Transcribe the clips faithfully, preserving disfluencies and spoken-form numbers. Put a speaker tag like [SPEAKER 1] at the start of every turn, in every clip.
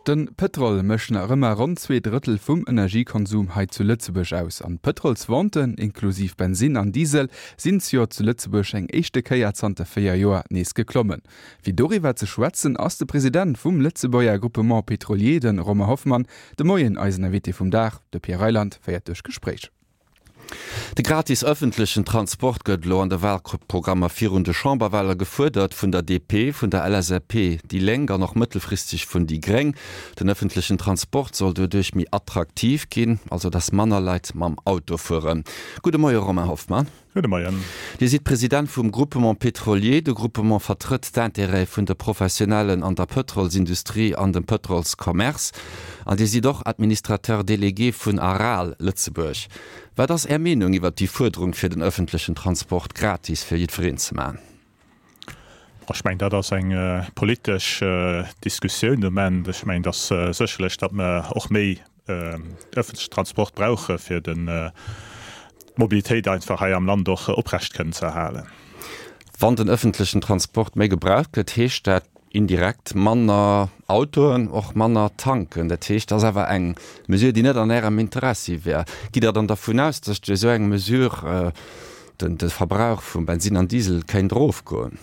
[SPEAKER 1] De Pëtrol mécht nach ëmmer ronn zwee Drëttel vum Energiekonsum hei zu Lëtzebuerg aus. An d'Pëtrolsventen, inklusiv Bensinn an Diesel, sinn zejoert zu Lëtzebuerg eng éischte Kéier zanter véier Joer nees geklommen. Fir doriwwer ze schwätzen, ass de President vum Lëtzebuerger Groupement Pétrolier, de Romain Hoffmann, de Moien eisen Invité vum Dag. De Pierre Reyland féiert duerch d'Gespréich.
[SPEAKER 2] De gratis ëffentlechen Transport gëtt elo an de Walprogrammer virun de Chamberwale gefuerdert, vun der D P, vun der L S A P, déi Lénk an och mëttelfristeg vun déi Gréng. Den ëffentlechen Transport soll doduerch méi attraktiv ginn, also datt manner Leit mam Auto fueren. Gudde Moie Romain Hoffmann.
[SPEAKER 3] Gudde Moien.
[SPEAKER 2] Dir sidd President vum Groupement Pétrolier. De Groupement vertrëtt d'Intérêtë vun de Professionellen an der Pëtrolsindustrie an dem Pëtrolscommerce. An Dir sidd och Administrateur délégué vun ARAL Lëtzebuerg. Wat ass Är Meenung iwwer déi Fuerderung fir den ëffentlechen Transport gratis fir jiddwereen ze maachen?
[SPEAKER 3] Ech mengen, dat ass eng politesch Diskussioun de Moment. Ech mengen, datt sécherlech, datt mer och méi ëffentlechen Transport brauche fir den d'Mobilitéit einfach hei am Land och oprecht kënnen ze erhalen.
[SPEAKER 2] Wann den ëffentlechen Transport méi gebraucht gëtt, heescht dat indirekt manner Autoen, och manner tanken. Dat heescht, dat ass awer eng Mesure, déi net an Ärem Interessi wär. Gitt Der dann dervun aus, datt duerch esou eng Mesure den de Verbrauch vum Bensin an Diesel kéint erofgoen?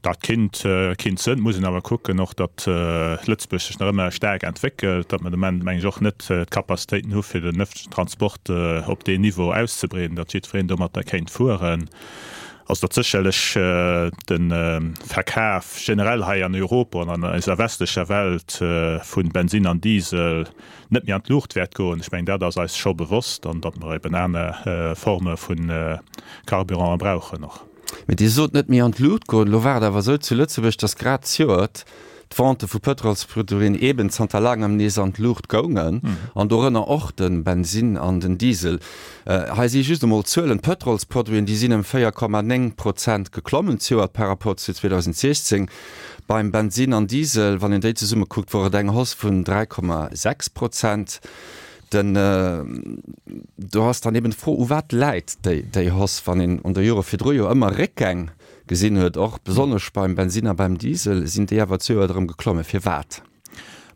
[SPEAKER 3] Dat kinnt kinnt sënn, muss een awer kucken och, datt Lëtzebuerg sech nach ëmmer staark entwéckelt, datt mer de Moment, meng ech, och net d'Capacitéiten hu fir den ëffentlechen Transport op deen Niveau auszebreeden, datt jiddwereen domatter kéint fueren. Also datt sécherlech de Verkaf generell hei an Europa an an eiser westlecher Welt vu Bensin an Diesel net méi an d'Luucht wäert goen, ech mengen, dat ass eis scho bewosst an datt mer eben aner Forme vu Carburante brauchen och.
[SPEAKER 2] Mee Dir sot net méi an d'Luucht goen. Elo war et awer esou zu Lëtzebuerg, datt grad zejoert d'Vente vu Pëtrolsproduiten eben zanter laangem nees an d'Luucht goungen, an dorënner och de Bensin an den Diesel. Hei si just emol d'Zuelen, D'Pëtrolsproduiten, déi sinn ëm véier Komma néng Prozent geklommen zejoert par rapport zu zweedausendsiechzéng. Beim Bensin an Diesel, wann een déi zesumme kuckt, wor et eng Hausse vun dräi Komma sechs Prozent. Den do ass dann eben d'Fro, u wat läit déi déi Hausse, wann een an de Jore virdru jo ëmmer Réckgäng gesinn huet, och besonnesch beim Bensin a beim Diesel, sinn déi awer zejoert erëm geklomme. Firwat?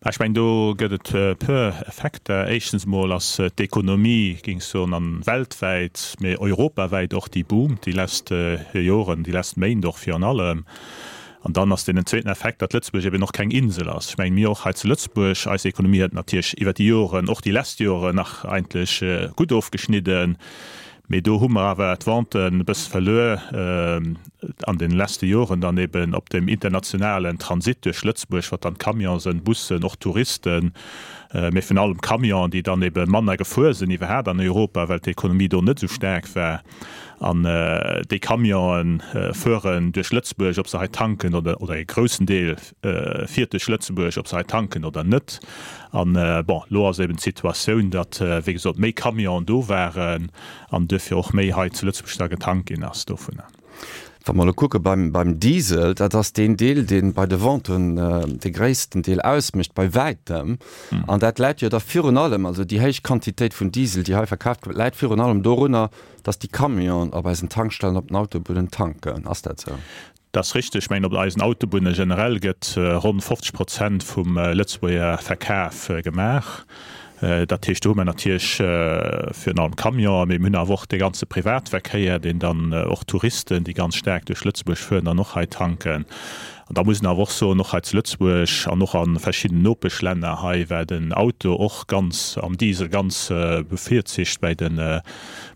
[SPEAKER 3] Ech mengen, do gëtt et e puer Effekter. Éischtens emol ass d'Ekonomie, géing ech soen, an weltwäit, mee europawäit och, déi boomt déi lescht Joren, déi lescht Méint och virun allem. An dann ass deen zweeten Effekt, datt Lëtzebuerg eben och keng Insel ass. Ech mengen, mir och hei zu Lëtzebuerg, eis Ekonomie huet natierlech iwwert déi Joren, och déi lescht Joren nach eigentlech gutt ofgeschnidden, mee do hu mer awer d'Venten e bësse verluer an den leschte Joren dann eben op dem internationalen Transit duerch Lëtzebuerg, wat dann Camionen, Bussen, och Touristen, mee virun allem Camionen, déi dann ebe manner gefuer sinn iwwerhaapt an Europa, well d'Ekonomie do net esou staark war. An déi Camionen fueren duerch Lëtzebuerg, ob se hei tanken oder, oder e groussen Deel fiert duerch Lëtzebuerg, ob se hei tanken oder net. An bon, elo ass eben d'Situatioun, datt, wéi gesot, méi Camionen do waren an duerfir och méi hei zu Lëtzebuerg da getankt ginn ass dovunner.
[SPEAKER 2] Wa mer elo kucke beim, beim Diesel, dat ass deen Deel, dee bei de Venten de gréissten Deel ausmécht, bei wäitem. An dat läit jo da virun allem, also déi héich Quantitéit vun Diesel, déi hei verkaaft gëtt, läit virun allem dorunner, dass déi Camionen op eisen Tankstellen, op den Autobunnen tanken. Ass dat esou?
[SPEAKER 3] Dat ass richteg. Ech mengen, op eisen Autobunne generell gëtt ronn fofzeg Prozent vum Lëtzebuerger Verkaf gemaach. Dat heescht, do hu mer natierlech virun allem Camionen, mee mir hunn awer och dee ganze Privatverkéier, deen dann och Touristen, déi ganz staark duerch Lëtzebuerg fueren, dann och hei tanken. An da muss een awer och soen, och hei zu Lëtzebuerg an och a verschiddenen Nopeschlänner hei war den Auto och ganz am Diesel ganz bevirzicht bei de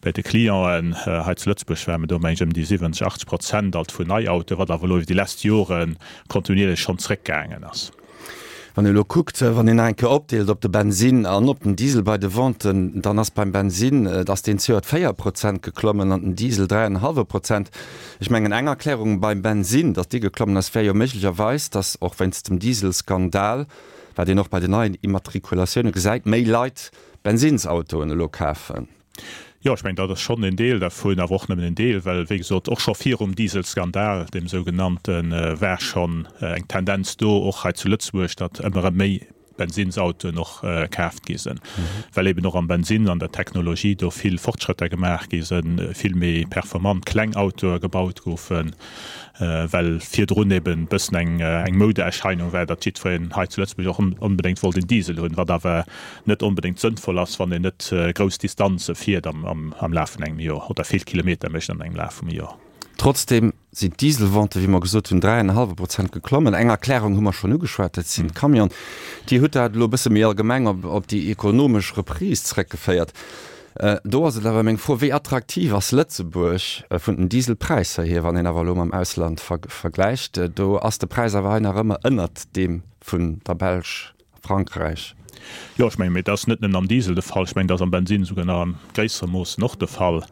[SPEAKER 3] bei de Clienten. Hei zu Lëtzebuerg ware mer do, meng ech, ëm déi siwwenzeg, achtzeg Prozent alt vun Neiautoen, wat awer elo iwwer déi lescht Jore kontinuierlech schonn zréckgaangen ass.
[SPEAKER 2] Wann ee elo kuckt, wann een nach eng Kéier opdeelt op de Bensin an op den Diesel bei de Venten, dann ass beim Bensin, ass deen zejoert véier Prozent geklommen an den Diesel dräi an en hallwe Prozent. Ech mengen, eng Erklärung beim Bensin, datt dee geklommen ass, wär jo méiglecherweis, datt och wéinst dem Dieselskandal, wat een och bei den neien Immatrikulatioune gesäit, méi Leit Bensinsautoen elo kafen.
[SPEAKER 3] Jo, ech mengen, dat ass schonn en Deel dervun, awer och nëmmen en Deel, well, wéi gesot, och scho virum Dieselskandal, deem sougenannten, war schonn eng Tendenz do, och hei zu Lëtzebuerg, datt ëmmer erëm méi Bensinnsautoen och kaaft gi sinn, well eben och am Bensinn an der Technologie do vill Fortschrëtter gemaach gi sinn, vill méi performant kleng Autoe gebaut goufen, well virdrun eben e bëssen eng eng Moudeerscheinung war, datt jiddwereen hei zu Lëtzebuerg och onbedéngt wollt en Diesel hunn, wat awer net onbedéngt sënnvoll ass, wann een net grouss Distanze fiert am am Laf vun engem Joer oder vill Kilometer mécht an engem Laf vum Joer.
[SPEAKER 2] Trotzdeem sinn d'Dieselvente, wéi mer gesot hunn, dräi an e hallwe Prozent geklommen. Eng Erklärung hu mer schonn ugeschwat, dat sinn d'Camionen. Dir hutt dat elo e bësse méi allgemeng op op déi ekonomesch Reprise zréckgeféiert. Do ass et awer meng Fro, Wéi attraktiv ass Lëtzebuerg vun den Dieselpräisser hier, wann een awer elo mam Ausland vergläicht? Do ass de Präis awer hei nach ëmmer ënnert deem vun der Belsch. Frankräich.
[SPEAKER 3] Jo, ech mengen, mee dat ass net nëmmen am Diesel de Fall, ech mengen, dat ass am Bensinn souguer nach am gréissere Moossen och de Fall.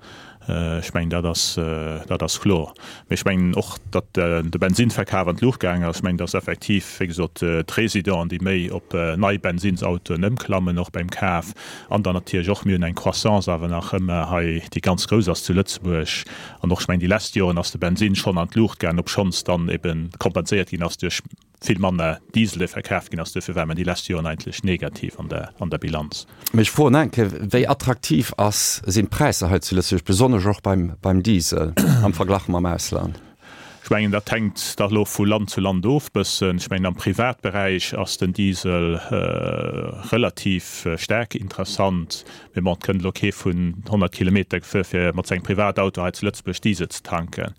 [SPEAKER 3] Ech mengen, dat ass, dat ass kloer. Mee ech mengen och, datt de Bensinnverkaf an d'Luucht gaangen ass. Ech mengen, datt effektiv, wéi gesot, d'Residenten, déi méi op nei Bensinnsautoen ëmklammen, och beim Kaf, an dann natierlech och, mir hunn eng Croissance awer nach ëmmer hei, déi ganz grouss ass zu Lëtzebuerg. An och, ech mengen, déi lescht Joren ass de Bensinn schonn an d'Luucht gaangen, obschonns dann ebe kompenséiert ginn ass duerch vill manner Diesel dee verkaaft ginn ass. Duerfir ware mer déi lescht Joren eigentlech negativ an der an der Bilanz.
[SPEAKER 2] Mee ech froen eng Kéier, Wéi attraktiv ass, sinn d'Präisser hei zu Lëtzebuerg, besonnesch och beim beim Diesel am Verglach mam Ausland?
[SPEAKER 3] Ech mengen, dat hänkt da elo vu Land zu Land of bëssen. Ech mengen, am Privatberäich ass den Diesel relativ staark interessant. Mee bon, et kënnt elo kee vun honnert Kilometer gefuer, fir mat sengem Privatauto hei zu Lëtzebuerg Diesel ze tanken.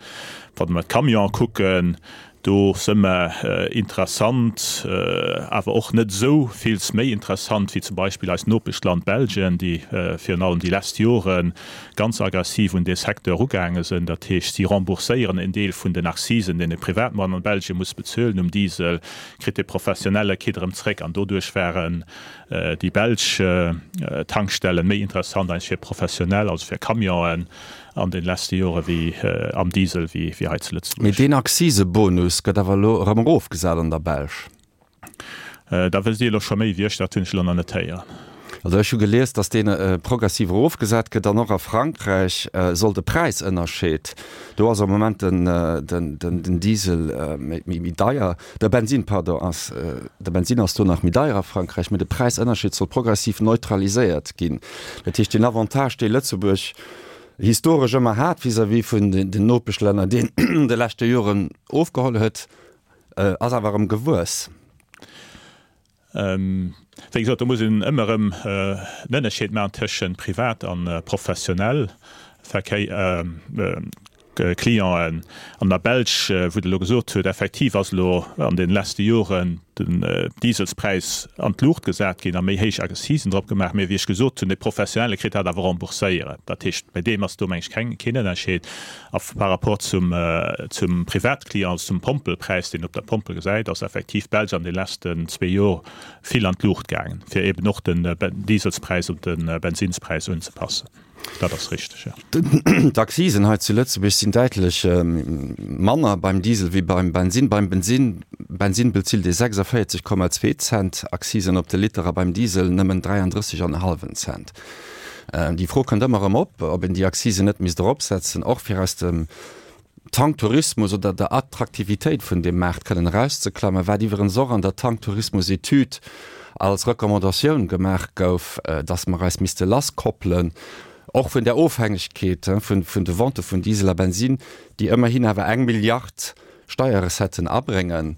[SPEAKER 3] Wa mer d'Camionen kucken, Do se mer interessant, awer och net esou vills méi interessant wéi zum Beispill eist Nopeschland Belgien, déi virun allem déi lesst Jore ganz aggressiv un dee Secteur erugaange sinn. Dat heescht, si rembourséieren en Deel vun den Accisen, deen e Privatmann an Belgien muss bezuelen um Diesel, kritt de Professionelle kritt erëm zréck. An doduerch waren déi belsch Tankstellen méi interessant eigentlech fir Professionell, also fir Camionen, an den leschte Jore wéi am Diesel wéi hei zu Lëtzebuerg.
[SPEAKER 2] Mee deen Akzisebonus gëtt awer elo erëm erofgesat an der Belsch.
[SPEAKER 3] Da wësst Dir elo scho méi wéi ech, dat hunn ech elo nach net héieren.
[SPEAKER 2] Also ech hu gelies, datt dee progressiv erofgesat gëtt an och a Frankräich soll de Präisënnerscheed, do ass am Moment den Diesel méi deier, de Bensinn, pardon, ass, de Bensinn ass do nach méi deier a Frankräich, mee de Präisënnerscheed soll progressiv neutraliséiert ginn. Dat heescht, deen Avantage, dee Lëtzebuerg historesch ëmmer hat vis-à-vis vun den Nopeschlänner, deen an de leschte Joren ofgeholl huet, ass awer erëm gewuess.
[SPEAKER 3] Wéi gesot, do muss een ëmmer erëm en Ënnerscheed maachen tëschent privat a professionell Verkéier, Clienten. An der Belsch, wou Der elo gesot hutt, effektiv ass elo an deene leschte Joren den Dieselspräis an d'Luucht gesat ginn a méi héich Accisen drop gemaach. Mee wéi ech gesot hunn, de Professionelle kritt dat awer rembourséiert. Dat heescht, bei deem ass do, meng ech, keng, keen Ënnerscheed. A par rapport zum, zum Privatclient, also zum Pompelpräis, deen een op der Pompel gesäit, ass effektiv d'Belsch an de leschten zwee Joer vill an d'Luucht gaangen, fir eeben och den Dieselspräis un de Bensinnspräis unzepassen. Dat ass richteg, jo.
[SPEAKER 2] D'Accisen hei zu Lëtzebuerg sinn däitlech manner beim Diesel wéi beim Bensinn. Beim Bensinn Bensinn bezilt ee sechsundvierzig Komma zwee Cent Accisen op de Liter a beim Diesel nëmmen dräianddrësseg an e hallwen Cent. Déi Fro kënnt ëmmer erëm op, ob een déi Accisen net misst eropsetzen, och fir aus dem Tanktourismus oder der Attraktivitéit vun deem Maart kënnen erauszeklammen, wat iwwerens och an der Tanktourismus-Etüd als Recommandatioun gemaach gouf, dass mer eis misste lasskoppelen, och vun där Ofhängegkeet vun de Vente vun Diesel a Bensinn, déi ëmmerhin awer eng Milliard Steierrecetten abréngen.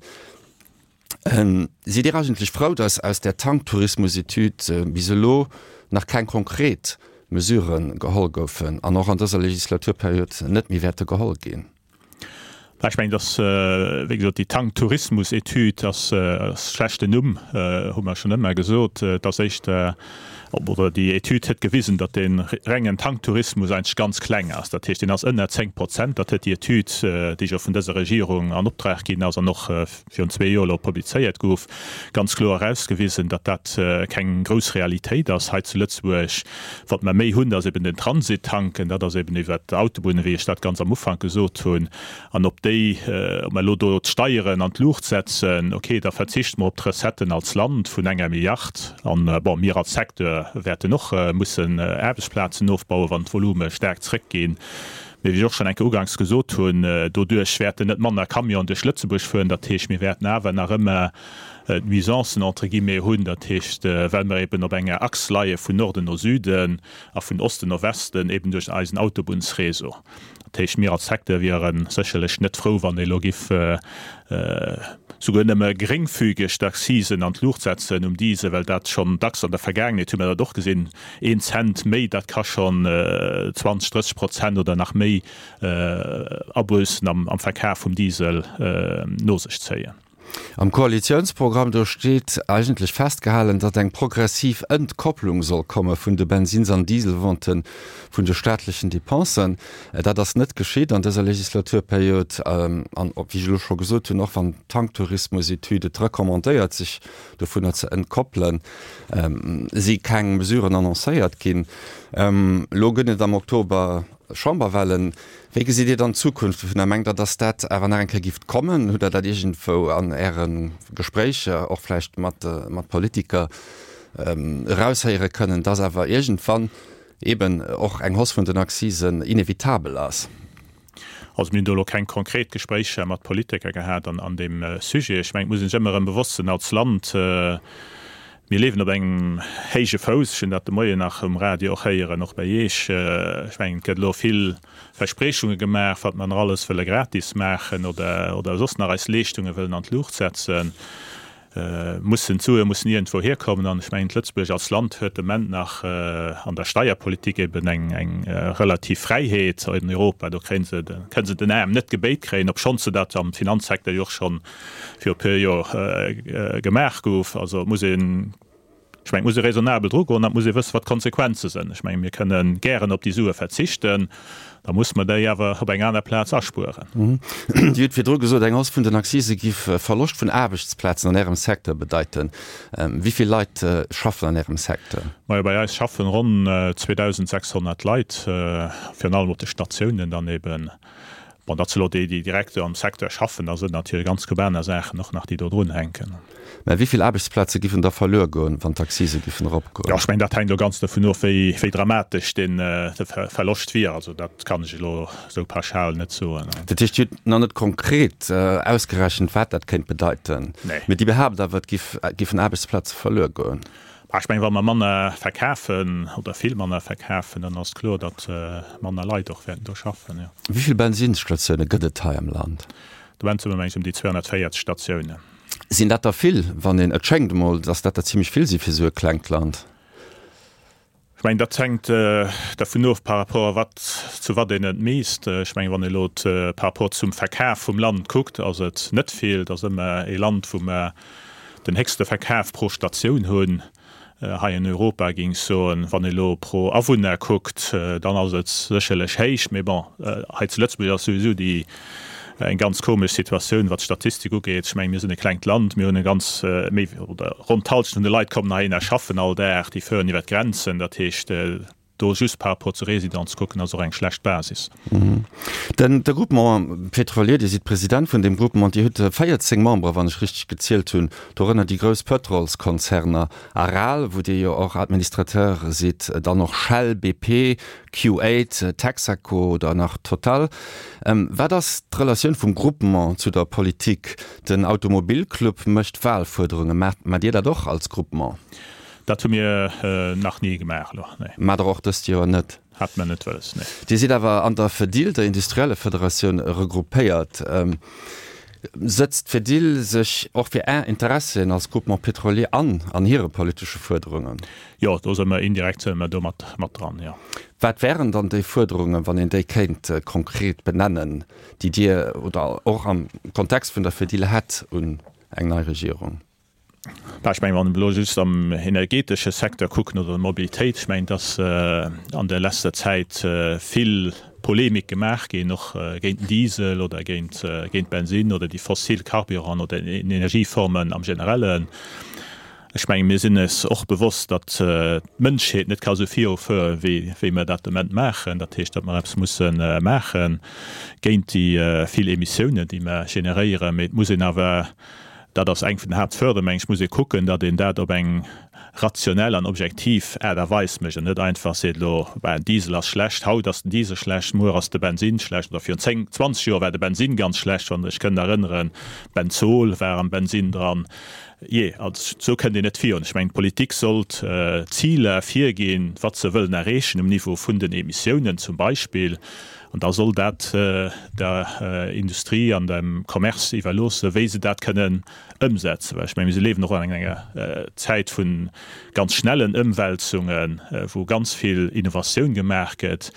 [SPEAKER 2] Sidd Dir eigentlech frou, dass aus där Tanktourismus-Etüd bis elo nach keng konkret Mesurë geholl goufen an och an dëser Legislaturperiod net méi wäerte geholl ginn?
[SPEAKER 3] Ech mengen, dass, wéi gesot, déi Tanktourismus-Etüd ass e schlechten Numm, hu mer schonn ëmmer gesot. Et ass éischter, oder déi Etüd huet gewisen, datt dee rengen Tanktourismus eigentlech ganz kleng ass. Dat heescht, deen ass ënner zéng Prozent. Dat huet déi Etüd, déi jo vun dëser Regierung an Optrag ginn ass an och virun zwee Joer elo publizéiert gouf, ganz kloer erausgewisen, datt dat keng grouss Realitéit ass hei zu Lëtzebuerg. Wat mer méi hunn, dat ass eben den Transittanken, dat ass eben iwwert d'Autobunnen, wéi ech dat ganz am Ufank gesot hunn. An ob déi, ob mer elo do d'Steieren an d'Luucht setzen, okay, da verzichte mer op d'Recetten als Land vun enger Milliard. An, bon, mir als Secteur wäerten och mussen Aarbechtsplazen ofbauen, wann d'Volume staark zrëckginn. Mee wéi ech och schonn eng Kéier uganks gesot hunn, doduerch wäerten net manner Camionen duerch Lëtzebuerg fueren. Dat heescht, mir wäerten awer nach ëmmer d'Nuisancen entre guillemets hunn, dat heescht, well mer eben op enger Achs leie vun Norden no Süden a vun Osten no Westen, eben duerch eisen Autobunnsréseau. Dat heescht, mir als Secteur wiere sécherlech net frou, wann ee elo giff souguer nëmme geréngfügeg d'Accisen an d'Luucht setzen um Diesel, well dat schonn dacks an der Vergaangenheet hu mer dat och gesinn, een Cent méi, dat ka schonn zwanzeg, drësseg Prozent oder nach méi Abuessen am Verkaf vum Diesel no sech zéien.
[SPEAKER 2] Am Koalitiounsprogramm, do steet eigentlech festgehalen, datt eng progressiv Entkopplung soll komme vun de Bensins an Dieselventen vun de staatlechen Depensen. Dat ass net geschitt an dëser Legislaturperiod. An, wéi ech elo scho gesot hunn, och wann d'Tanktourismusetüd et recommandéiert, sech dovunner ze entkoppelen, si keng Mesuren annoncéiert ginn. Elo gëtt et am Oktober Chamberwahlen. Wéi gesitt Dir dann d'Zukunft dovunner? Mengt Der, datt dat awer nach eng Kéier gift kommen? Hutt Der dat iergendwou an Äre Gespréicher, och vläicht mat Politiker, eraushéiere kënnen, datt awer iergendwann eeben och eng Hausse vun den Accisen inevitabel ass?
[SPEAKER 3] Also mir hunn do elo keng konkret Gespréicher mat Politiker gehat an deem Sujet. Ech mengen, et muss ee sech ëmmer erëm bewosst sinn als Land, mir liewen op engem héije Fouss. Ech hunn dat de Moien nach um Radio och héieren, och bei Iech. Ech mengen, et gëtt elo vill Verspriechunge gemaach, wat mer nach alles wëlle gratis maachen oder, oder soss nach eis Leeschtunge wëllen an d'Luucht setzen. Mussen d'Sue mussen iergendwou hierkommen. An ech mengen, Lëtzebuerg als Land huet de Moment nach an der Steierpolitik eben eng, eng relativ Fräiheet an Europa. Do kréie se, kënne se den Aarm net gebéit kréien, obschonns se dat am Finanzsecteur jo och schonn viru e puer Joer gemaach gouf. Also et muss een, ech mengen, et muss ee raisonnabel drugoen an et muss ee wëssen, wat d'Konsequenze sinn. Ech mengen, mir kënne gären op déi Sue verzichten, da muss mer déi awer op eng aner Plaz aspueren.
[SPEAKER 2] Dir hutt virdru gesot, eng Hausse vun den Accisë giff Verloscht vun Aarbechtsplazen an Ärem Secteur bedeiten. Wéi vill Leit schaffen an Ärem Secteur?
[SPEAKER 3] Majo, bei eis schaffen ronn zweedausendsechshonnert Leit, virun allem op de Statiounen dann eben. Bon, dat si lo déi, déi direkt am Secteur schaffen. Da sinn natierlech ganz gutt aner Saachen och nach, déi do drun hänken.
[SPEAKER 2] Mä wéi vill Aarbechtsplaze giffen da verluer goen, wann d'Accisë giffen eropgoen?
[SPEAKER 3] Jo, ech mengen, dat hänkt elo ganz dovun of, wéi, wéi dramatesch deen, de Verloscht wier. Also dat kann ech elo esou pauschal net soen.
[SPEAKER 2] Dat heescht, Dir hutt nach net konkret ausgerechent, wat dat kéint bedeiten?
[SPEAKER 3] Nee.
[SPEAKER 2] Mee Dir behaapt awer, et giff, giffen Aarbechtsplaze verluer goen?
[SPEAKER 3] Bah, ech mengen, wa mer manner verkafen oder vill manner verkafen, dann ass kloer, datt manner Leit och wäerten do schaffen, jo.
[SPEAKER 2] Wéi vill Bensinnsstatioune gëtt et hei am Land?
[SPEAKER 3] De Moment si mer, meng ech, ëm déi zweehonnertvéierzeg Statiounen.
[SPEAKER 2] Sinn dat der vill, wann een, et schéngt emol, datt dat der zimlech vill si fir esou e klengt Land?
[SPEAKER 3] Ech mengen, dat hänkt dervun of, par rapport wat, zu wat een et misst. Ech mengen, wann ee elo par rapport zum Verkaf vum Land kuckt, ass et net vill. Et ass ëmmer ee Land, wou mer den héchste Verkaf pro Statioun hunn hei an Europa, géing ech soen. Wann ee elo pro Awunner kuckt, dann ass et sécherlech héich. Mee bon, hei zu Lëtzebuerg ass souwisou déi eng ganz komesch Situatioun, wat d'Statistik ugeet. Ech mengen, mir sinn e klengt Land, mir hunn e ganz, méi oder ronn d'Hallschent vun de Leit kommen heihinner, schaffen all Dag, déi fueren iwwer d'Grenzen. Dat heescht, do just par rapport zur Résidence kucken, ass och eng schlecht Basis.
[SPEAKER 2] Den de Groupement pétrolier, Dir sidd President vun deem Groupement, Dir hutt véierzéng Membere, wann ech richteg gezielt hunn, dorënner déi grouss Pëtrolskonzerner Aral, wou Dir jo och Administrateur sidd, dann och Shell, B P, Q eight, Texaco oder nach Total. Wat ass d'Relatioun vum Groupement zu der Politik? Den Automobilclub mécht Wahlfuerderungen. Maacht Dir dat och als Groupement?
[SPEAKER 3] Dat hu mir nach ni gemaach elo, nee.
[SPEAKER 2] Maacht Der och dëst Joer net?
[SPEAKER 3] Hate mer net wëlles, nee.
[SPEAKER 2] Dir sidd awer an der Fedil, der Industriellefederatioun, regroupéiert. Sëtzt d'Fedil sech och fir Är Interessien als Groupement pétrolier an, an hire politesche Fuerderungen?
[SPEAKER 3] Jo, do si mer indirekt si mer do mat mat dran, jo.
[SPEAKER 2] Wat wären dann déi Fuerderungen, wann een déi kéint konkret benennen, déi Dir oder och am Kontext vun der Fedil hätt un eng nei Regierung?
[SPEAKER 3] Bah, ech mengen, wann elo just am energetesche Secteur kucken oder der Mobilitéit, ech mengen, dass an der leschter Zäit vill Polemik gemaach ginn, och géint den Diesel oder géint géint Bensinn oder déi fossil Carburanten oder Energieformen am Generellen. Ech mengen, mir sinn eis och bewosst, datt d'Mënschheet net ka sou virufuere wéi wéi mer dat de Moment maachen. Dat heescht, datt mer eppes musse maache géint déi vill Emissiounen, déi mer generéieren. Mee et muss een awer, dat ass eng vun den Haaptförderungen, mengen ech, muss ee kucken, datt een dat op eng rationell an objektiv Aart a Weis mécht an net einfach seet, elo, ben, Diesel ass schlecht, haut ass den Diesel schlecht, muer ass de Bensinn schlecht oder virun zéng, zwanzeg Joer war de Bensinn ganz schlecht, wann Der Iech kënnt erënneren, Benzol war am Bensinn dran. Jee, also esou kënnt een net virun. Ech mengen, d'Politik sollt Ziler virginn, wat se wëllen erreechen um Niveau vun den Emissiounen zum Beispill, an da soll dat der Industrie an dem Commerce iwwerloossen, wéi se dat kënnen ëmsetzen. Well ech mengen, mir liewen och an enger Zäit vu ganz schnellen Ëmwälzungen, wou ganz vill Innovatioun gemaach gëtt.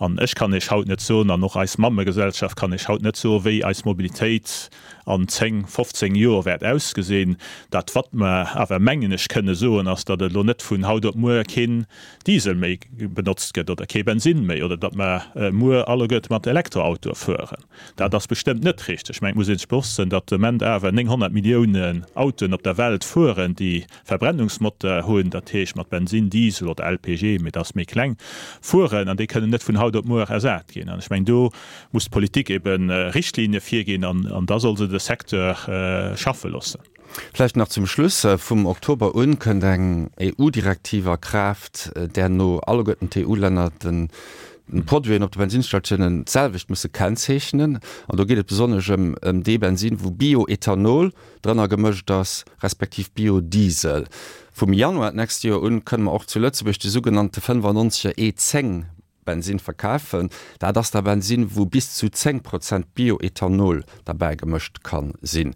[SPEAKER 3] An ech kann Iech haut net soen, an och eis Mammegesellschaft kann Iech haut net soen, wéi eis Mobilitéit an zéng, fofzéng Joer wäert ausgesinn. Dat, wat mer awer, mengen ech, kënne soen, ass, datt elo net vun haut op muer keen Diesel méi benotzt gëtt oder kee Bensinn méi oder datt mer muer alleguerte mat Elektroautoe fueren. Dat ass bestëmmt net richteg. Ech mengen, et muss ee sech bewosst sinn, datt de Moment awer nénghonnert Milliounen Autoen op der Welt fueren, déi Verbrennungsmoteur hunn, dat heescht mat Bensinn, Diesel oder L P G, mee dat ass méi kleng, fueren an déi kënnen net vun haut op muer ersat ginn. An ech mengen, do muss d'Politik ebe Richtlinie virginn an da soll se de Secteur schaffe loossen.
[SPEAKER 2] Vläicht nach zum Schluss, Vum Oktober un kënnt eng E U-Direktiv a Kraaft, där no alleguerten d'E U-Länner de Produiten op de Bensinnsstatiounen d'selwecht musse kennzeechnen. An do geet et besonnesch ëm ëm dee Bensinn, wou Bioethanol drënner gemëscht ass, respektiv Biodiesel. Vum Januar d'nächst Joer un kënne mer och zu Lëtzebuerg de sougenannte fënnefannonzeger E zéng Bensinn verkafen. Dat ass da Bensinn, wou bis zu zéng Prozent Bioethanol derbäi gemëscht ka sinn.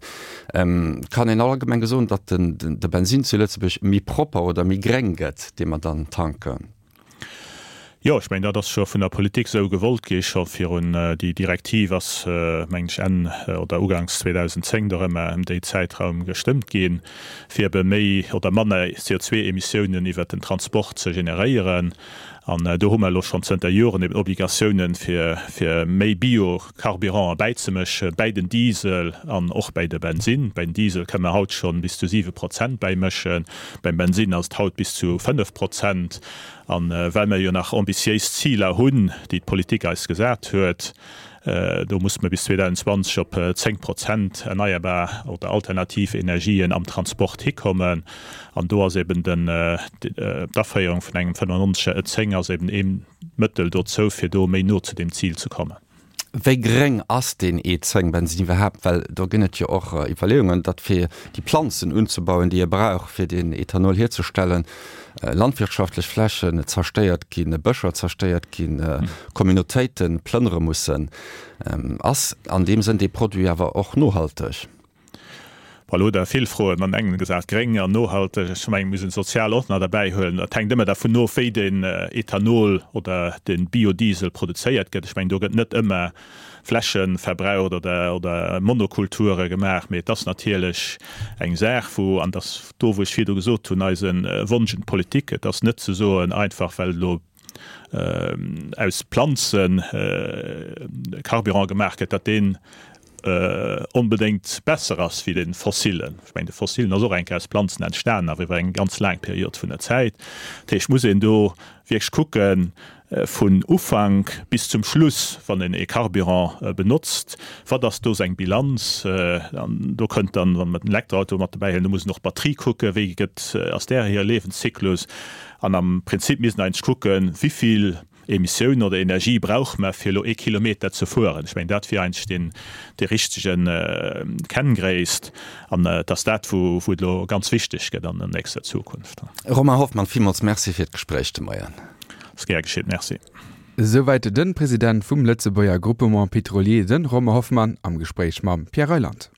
[SPEAKER 2] Kann een allgemeng soen, datt de Bensinn zu Lëtzebuerg méi propper oder méi gréng gëtt, dee mer dann tanken?
[SPEAKER 3] Jo, ech mengen, dat ass scho vun der Politik esou gewollt gi scho virun. Déi Direktiv ass, mengen ech, Enn oder uganks zweedausendzéng do erëm ëm déi Zäitraum gestëmmt ginn, fir ebe méi oder manner C O zwee Emissiounen iwwert den Transport ze generéieren. An do hu mer elo schonn zënter Joren eben Obligatiounen, fir fir méi Bio-Carburante bäizemëschen, bäi den Diesel an och bäi de Bensinn. Bäi den Diesel kënne mer haut schonn bis zu siwe Prozent bäimëschen, beim Bensinn ass et haut bis zu fënnef Prozent. An well mer jo nach ambitiéis Ziler hunn, déi d'Politik eis gesat huet, do musse mer bis zweedausendzwanzeg op zéng Prozent erneierbar oder alternativ Energien am Transport hikommen. An do ass eben den d'Aféierung vun engem fënnefannonzeger E zéng ass eben ee Mëttel dozou, fir do méi no zu deem Zil ze kommen.
[SPEAKER 2] Wéi gréng ass deen E zéng Bensinn iwwerhaapt? Well do ginn et jo och Iwwerleeungen, datt fir déi Planzen unzebauen, déi ee brauch, fir deen Ethanol hierzestellen, landwirtschaftlech Flächen zerstéiert ginn, Bëscher zerstéiert ginn, Communautéite plënnere mussen. Ass an deem Sënn dee Produit awer och nohalteg?
[SPEAKER 3] Bon, elo hutt Der vill Froen an engem gesat, gréng an nohalteg. Ech mengen, mir müssen sozial och nach derbäi huelen. Dat hänkt ëmmer dervun of, wéi den Ethanol oder de Biodiesel produzéiert gëtt. Ech mengen, do gëtt net ëmmer Fläche verbraucht oder, oder Monokulture gemaach, mee et ass natierlech eng Saach, wou, an dat do, wou ech virdu gesot hunn, eise Wonsch un d'Politik, et ass net ze soen, einfach well elo aus Planzen Carburant gemaach gëtt, datt deen onbedéngt besser ass wéi de fossilen. Ech mengen, de fossilen ass och eng Kéier aus Planzen entstanen, awer iwwer eng ganz laang Period vun der Zäit. Dat heescht, muss een do wierklech kucken, vun Ufank bis zum Schluss, wann een ee Carburant benotzt, wat ass do seng Bilanz. An do kënnt dann, wa mer den Elektroauto mat dobäi huelen, do muss een och d'Batterie kucken, wéi gëtt, ass där hir Liewenszyklus. An am Prinzip misst een eigentlech kucken, wéi vill Emissioun oder Energie brauch mer, fir elo ee Kilometer ze fueren. Ech mengen, dat wier eigentlech deen, dee richtegen Kenngréisst. An et ass dat, wou, wou et elo ganz wichteg gëtt an der nächster Zukunft.
[SPEAKER 2] Romain Hoffmann, villmools Merci fir d'Gespréich de Moien.
[SPEAKER 3] Ass gär geschitt, Merci.
[SPEAKER 1] Souwäit de President vum Lëtzebuerger Groupement Pétrolier, de Romain Hoffmann, am Gespréich mam Pierre Reyland.